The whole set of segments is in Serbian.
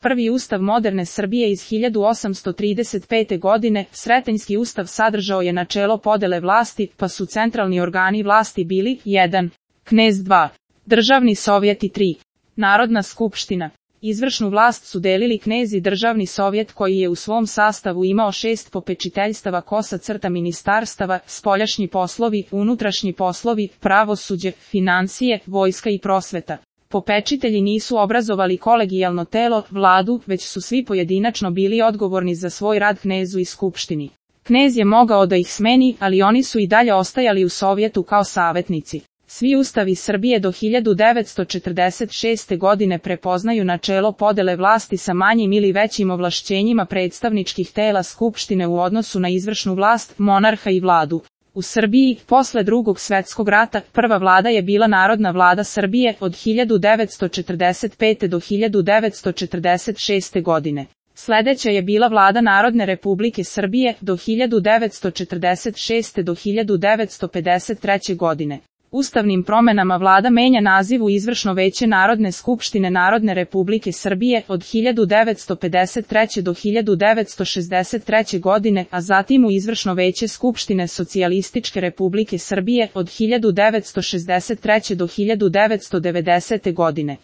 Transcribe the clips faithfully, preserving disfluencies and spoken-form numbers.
Prvi ustav moderne Srbije iz hiljadu osamsto trideset pete. godine, Sretenjski ustav sadržao je načelo podele vlasti, pa su centralni organi vlasti bili jedan. Knez dva. Državni sovjeti tri. Narodna skupština. Izvršnu vlast su delili knez i državni sovjet koji je u svom sastavu imao šest popečiteljstava kosa crta ministarstava, spoljašnji poslovi, unutrašnji poslovi, pravosuđe, financije, vojska i prosveta. Popečitelji nisu obrazovali kolegijalno telo, vladu, već su svi pojedinačno bili odgovorni za svoj rad knezu i skupštini. Knez je mogao da ih smeni, ali oni su i dalje ostajali u sovjetu kao savetnici. Svi ustavi Srbije do hiljadu devetsto četrdeset šeste. godine prepoznaju načelo podele vlasti sa manjim ili većim ovlašćenjima predstavničkih tela skupštine u odnosu na izvršnu vlast, monarha i vladu. U Srbiji, posle Drugog svetskog rata, prva vlada je bila Narodna vlada Srbije od hiljadu devetsto četrdeset pete. do hiljadu devetsto četrdeset šeste. godine. Sledeća je bila vlada Narodne republike Srbije do hiljadu devetsto četrdeset šeste. do hiljadu devetsto pedeset treće. godine. Ustavnim promenama vlada menja naziv u Izvršno veće Narodne skupštine Narodne republike Srbije od hiljadu devetsto pedeset treće. do hiljadu devetsto šezdeset treće. godine, a zatim u Izvršno veće Skupštine Socijalističke republike Srbije od hiljadu devetsto šezdeset treće. do hiljadu devetsto devedesete. godine.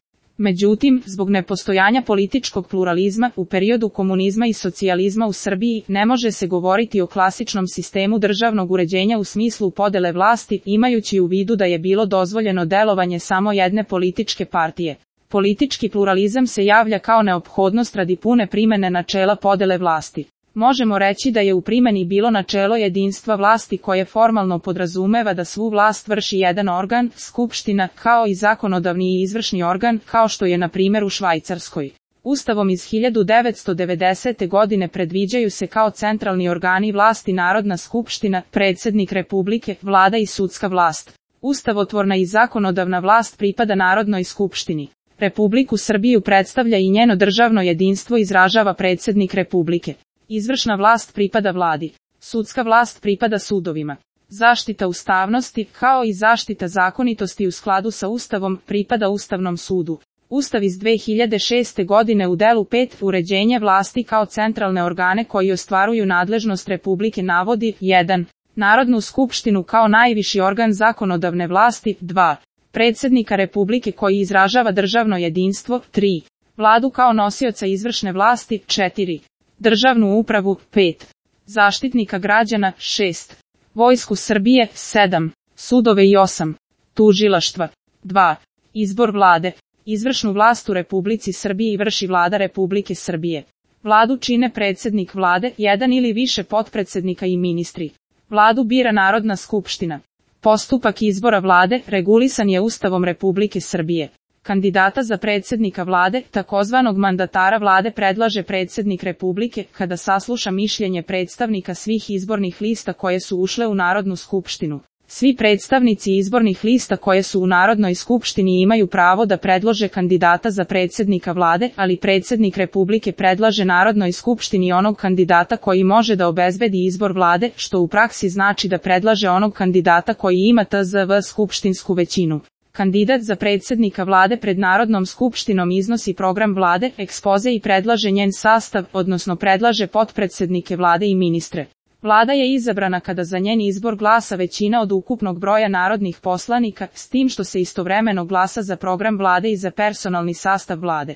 Međutim, zbog nepostojanja političkog pluralizma u periodu komunizma i socijalizma u Srbiji ne može se govoriti o klasičnom sistemu državnog uređenja u smislu podele vlasti, imajući u vidu da je bilo dozvoljeno delovanje samo jedne političke partije. Politički pluralizam se javlja kao neophodnost radi pune primene načela podele vlasti. Možemo reći da je u primeni bilo načelo jedinstva vlasti koje formalno podrazumeva da svu vlast vrši jedan organ, skupština, kao i zakonodavni i izvršni organ, kao što je na primjer u Švajcarskoj. Ustavom iz hiljadu devetsto devedesete. godine predviđaju se kao centralni organi vlasti Narodna skupština, predsjednik Republike, vlada i sudska vlast. Ustavotvorna i zakonodavna vlast pripada Narodnoj skupštini. Republiku Srbiju predstavlja i njeno državno jedinstvo izražava predsjednik Republike. Izvršna vlast pripada vladi. Sudska vlast pripada sudovima. Zaštita ustavnosti, kao i zaštita zakonitosti u skladu sa Ustavom, pripada Ustavnom sudu. Ustav iz dve hiljade šeste. godine u delu pet uređenje vlasti kao centralne organe koji ostvaruju nadležnost Republike navodi jedan. Narodnu skupštinu kao najviši organ zakonodavne vlasti, dva. Predsjednika Republike koji izražava državno jedinstvo, tri. Vladu kao nosioca izvršne vlasti, četiri. Državnu upravu, pet. Zaštitnika građana, šest. Vojsku Srbije, sedam. Sudove i osam. Tužilaštva, dva. Izbor vlade. Izvršnu vlast u Republici Srbiji vrši vlada Republike Srbije. Vladu čine predsjednik vlade, jedan ili više potpredsednika i ministri. Vladu bira Narodna skupština. Postupak izbora vlade regulisan je Ustavom Republike Srbije. Kandidata za predsjednika vlade, takozvanog mandatara vlade predlaže predsjednik Republike, kada sasluša mišljenje predstavnika svih izbornih lista koje su ušle u Narodnu skupštinu. Svi predstavnici izbornih lista koje su u Narodnoj skupštini imaju pravo da predlože kandidata za predsjednika vlade, ali predsjednik Republike predlaže Narodnoj skupštini onog kandidata koji može da obezbedi izbor vlade, što u praksi znači da predlaže onog kandidata koji ima T Z V skupštinsku većinu. Kandidat za predsjednika vlade pred Narodnom skupštinom iznosi program vlade, ekspoze i predlaže njen sastav, odnosno predlaže potpredsednike vlade i ministre. Vlada je izabrana kada za njen izbor glasa većina od ukupnog broja narodnih poslanika, s tim što se istovremeno glasa za program vlade i za personalni sastav vlade.